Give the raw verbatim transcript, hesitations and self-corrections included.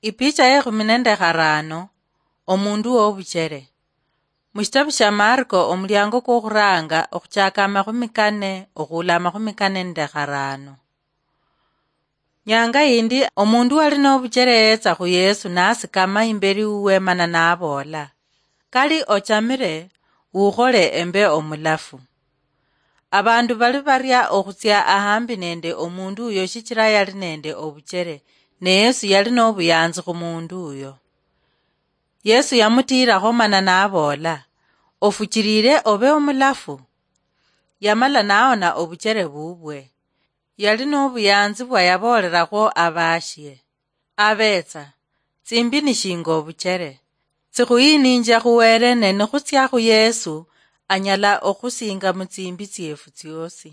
Ipicha yekhumi nende kharano. Omundu wobuchere. Mushitabu shia Marko, omuliango kwokhuranga, okhuchaka amakhumi kane okhuula amakhumi kane nende kharano. Nyanga yindi, omundu wali nobuchere yetsa khu Yesu, nasikama imberi wuwe mana naboola, "Kali ochamire, wukhole embe omulafu." Abandu bali baria okhutsia ahambi nende omundu uyo shichira yali nende obuchere, ne Yesu yali nobuyanzi khumundu uyo. Yesu yamutiirakho mana naboola, "Ofuchirire obe omulafu." Yamala naona obuchere bubwe. Yali nobuyanzi bwa yaboolerakho abashie. Abetsa, tsimbi nishinga obuchere. Tsikhuyininjia khuwere ne nikhutsia khu Yesu, anyala okhusinga mutsimbi tsiefu tsiosi.